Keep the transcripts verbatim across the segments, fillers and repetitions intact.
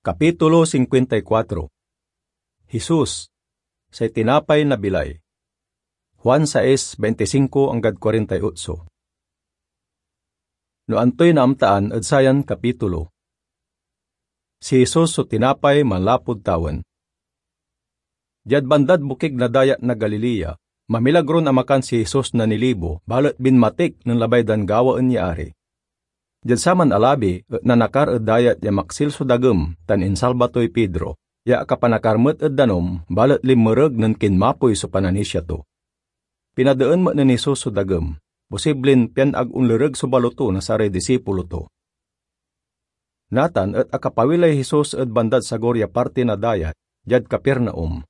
Kapitulo singkuenta y kuatro. Jesus, say tinapay na bilay. Juan sais, veintisinko anggad kuarenta y otso. No antoy naamtaan ed sayan kapitulo? Si Jesus so tinapay manlapud tawen. Diad bandad bokig na Dayat na Galilea, mamilagron amakan si Jesus na nilibo, balet binmatik nen labay dan gawaen ya ari. Diad saman a labi et nanakar ed dayat ya maksil so dagem tan insalba toy Pedro, ya akapanakar met ed danum, balet linmereg nen kinmapoy so pananisia to. Pinadeen met nen Jesus so dagem, posiblin pian ag onlereg so baloto na saray disipulo to. Natan et akapawilay Jesus ed bandad sagor ya parti na dayat, diad Capernaum.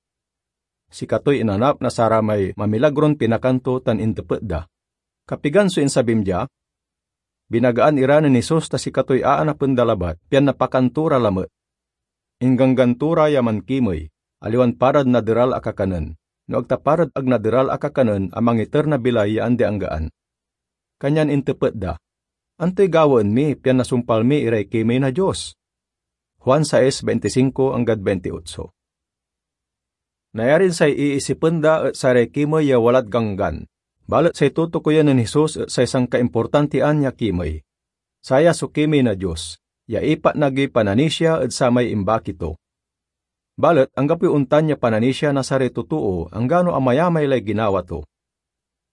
Sikatoy inanap na saramay mamilagron pinakan to tan intepet da, "Kapigan so insabim dia?" Binagaan ira nen Jesus ta sikatoy aanapen da labat, pian napakan to ra lamet. Ingganggan to ra ya mankimey, aliwan parad naderal a kakanen, no ag ta parad ag naderal a kakanen a mangiter na bilay ya andi-anggaan. Kanyan intepet da, "Antoy gawaen mi pian nasumpal mi iray kimey na Dios?" Juan sais, veintisinko anggad veintiotso. Nayarin say iisipen da et saray kimey ya walad Ganggan, balet say tutukoyen nen Jesus et say sankaimportantian ya kimey. Saya so kimey na Dios, ya ipatnag yoy pananisia ed samay imbaki to. Balet anggapoy ontan ya pananisia na saray totoo anggano amayamay lay ginawa to.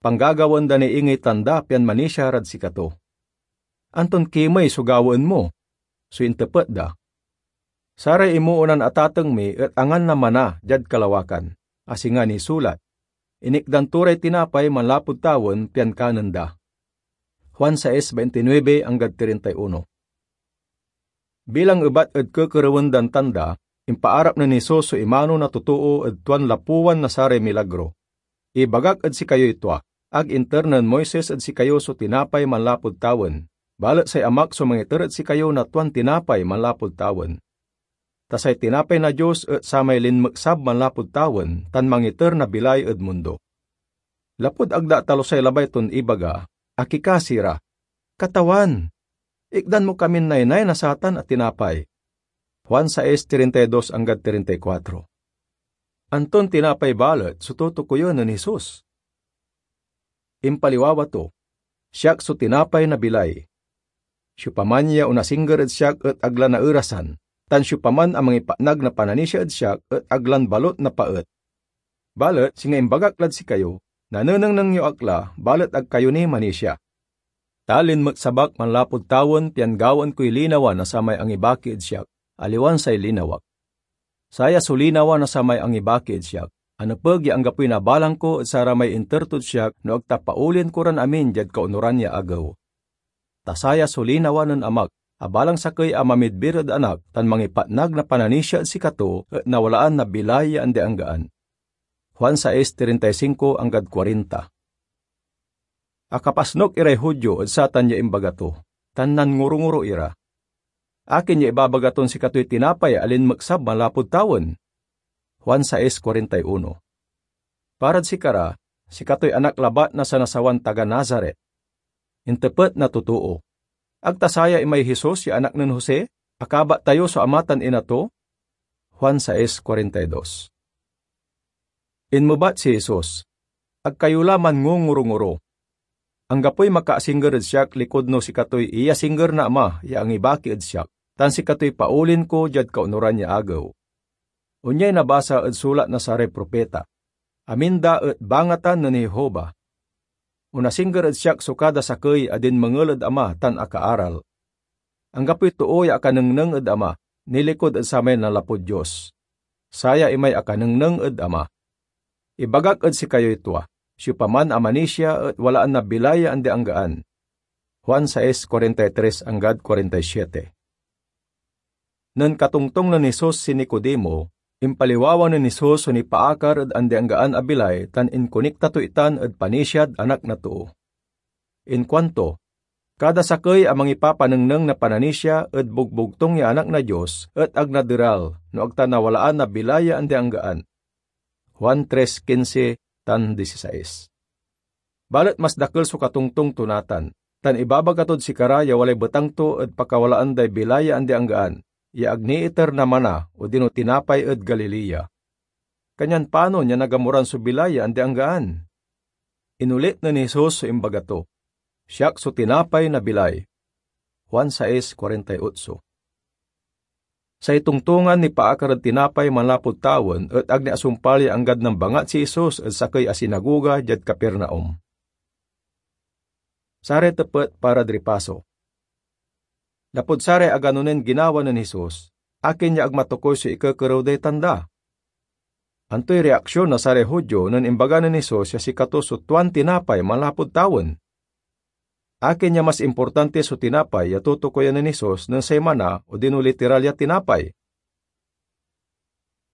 Panggagawaen da ni ingey tanda pian manisia rad sikato. "Anton kimey so gawaen mo?" so intepet da. "Saray imoonan atateng mi et angan na mana diad kalawakan, a singa nisulat, 'Inikdan to ray tinapay manlapud tawen pian kanen da.'" Juan sais, veintinuebe anggad treinta y uno. Bilang ebat ed kekerewen dan tanda, impaarap nen Jesus so imano na totoo ed tuan lapuan na saray milagro. Ibagak ed sikayoy tua, ag inter nen Moises ed sikayo so tinapay manlapud tawen, balet say Amak so mangiter ed sikayo na tuan tinapay manlapud tawen. Ta say tinapay na Dios et samay linmeksab manlapud tawen tan mangiter na bilay ed mundo. Lapud ag da atalusay labay ton ibaga, akikasi ra, "Katawan, ikdan mo kamin naynay na satan a tinapay." Juan sais, treinta y dos anggad treinta y kuatro. Anton tinapay balet so tutukoyen nen Jesus? Impaliwawa to, "Siak so tinapay na bilay. Siopaman ya onasingger ed siak et ag la naerasan, tan siopaman a mangipatnag na pananisia ed siak et ag lan balot napaet. Balet singa imbagak lad sikayo, nanenengneng yo ak la, balet ag kayo ni manisia. Ta linmeksab ak manlapud tawen pian gawaen koy linawa na samay angibaki ed siak, aliwan say linawak. Saya so linawa na samay angibaki ed siak, a nepeg ya anggapoy nabalang ko ed saramay inter tod siak no ag ta paolien ko ran amin diad kaonuran ya agew. Ta saya so linawa nen Amak, a balang sakey a mamidbir ed Anak tan mangipatnag na pananisia ed sikato et nawalaan na bilay ya andi-anggaan." Juan sais, treinta y cinco anggad kuarenta. Akapasnok iray Judio ed satan ya imbaga to, tan nanngorongoro ira, "Akin ya ibabaga ton sikatoy tinapay a linmeksab manlapud tawen?" Juan sais, kuarenta y uno. Parad sikara, sikatoy anak labat na sanasawan taga Nazaret. Intepet na totoo, "Ag ta saya imay Jesus ya anak nen Jose, a kabat tayo so ama tan ina to?" Juan sais, kuarenta y dos. Inmebat si Jesus, "Ag kayo la manngongorongoro. Anggapoy makaasingger ed siak likud no sikatoy iyasingger na Ama ya angibaki ed siak, tan sikatoy paolien ko diad kaonuran ya agew." Onyay nabasa ed sulat na saray propita, "Amin da et bangatan nen Jehovah. Onasingger ed siak so kada sakey a dinmengel ed Ama tan akaaral. Anggapoy too ya akanengneng ed Ama, nilikud ed samay nanlapud Dios. Saya imay akanengneng ed Ama. Ibagak ed sikayoy tua, siopaman a manisia et walaan na bilay ya andi-anggaan." Juan sais, kuarenta y tres anggad kuarenta y siete. Nen katongtong nen Jesus si Nicodemo, impaliwawa nen Jesus so nipaakar ed andi-anggaan a bilay tan inkonekta to itan ed panisiad Anak na Too. Inkuanto, "Kada sakey a mangipapanengneng na pananisia ed bogbogtung ya Anak na Dios et ag naderal no ag ta nawalaan na bilay ya andi-anggaan." Juan tres quince tan dieciséis. Balet mas dakel so katongtong to natan, tan ibabaga tod sikara ya walay betang to ed pakawalaan day bilay ya andi-anggaan. ya ag niiter na mana odino tinapay ed Galilea. Kanyan panon ya nagamuran so bilay ya andi-anggaan? Inulit nen Jesus so imbaga to, "Siak so tinapay na bilay." Juan sais kuarenta y otso. Say tongtongan nipaakar ed tinapay manlapud tawen et ag ni asumpal ya anggad nambangat si Jesus ed sakey a sinagoga diad Capernaum. Saray tepet para ed ripaso. Lapud saray agano nen ginawa nen Jesus, akin ya ag matokoy so ikekerew day tanda? Antoy reaksion na saray Judio nen imbaga nen Jesus ya sikato so tuan tinapay manlapud tawen? Akin ya mas importante so tinapay ya tutukoyan nen Jesus nen say mana odino literal ya tinapay?